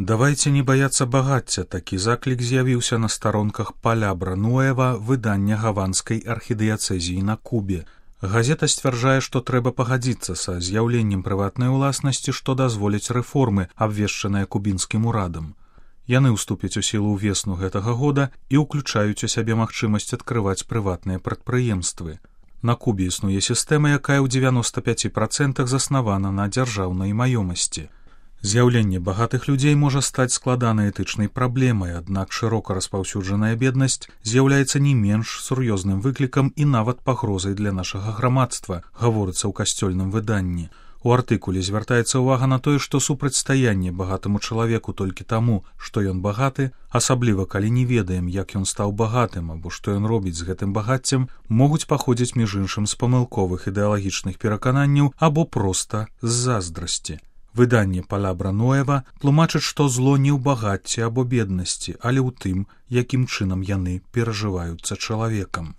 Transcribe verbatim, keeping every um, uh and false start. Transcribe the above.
Давайте не баяцца багацця, такі заклік з'явіўся на старонках Палябра Нуэва выдання гаванскай архідыяцэзіі на Кубе. Газета сцвярджае, што трэба пагадзіцца са з'яўленнем прыватнай уласнасці, што дазволіць рэформы, абвешчаныя кубінскім урадам. Яны ўступяць у сілу ўвесну гэтага года і ўключаюць у сябе магчымасць адкрываць прыватныя прадпрыемствы. На Кубе існуе сістэма, якая ў дзевяноста пяці працэнтах заснавана на дзяржаўнай маёмасці. З'яўленне багатых людзей можа стаць складанай этычнай праблемай, аднак шырока распаўсюджаная беднасць з'яўляецца не менш сур'ёзным выклікам і нават пагрозай для нашага грамадства, гаворыцца ў касцёльным выданні. У артыкуле звяртаецца ўвага на тое, што супрацьстаянне багатаму чалавеку толькі таму, што ён багаты, асабліва калі не ведаем, як ён стаў багатым або што ён робіць з гэтым багаццем, могуць паходзіць між іншым з памылковых ідэалагічных перакананняў або проста з заздрасці. Выданне Палябра Нуэва тлумачыць, што зло не ў багацці або беднасці, але ў тым, якім чынам яны перажываюцца чалавекам.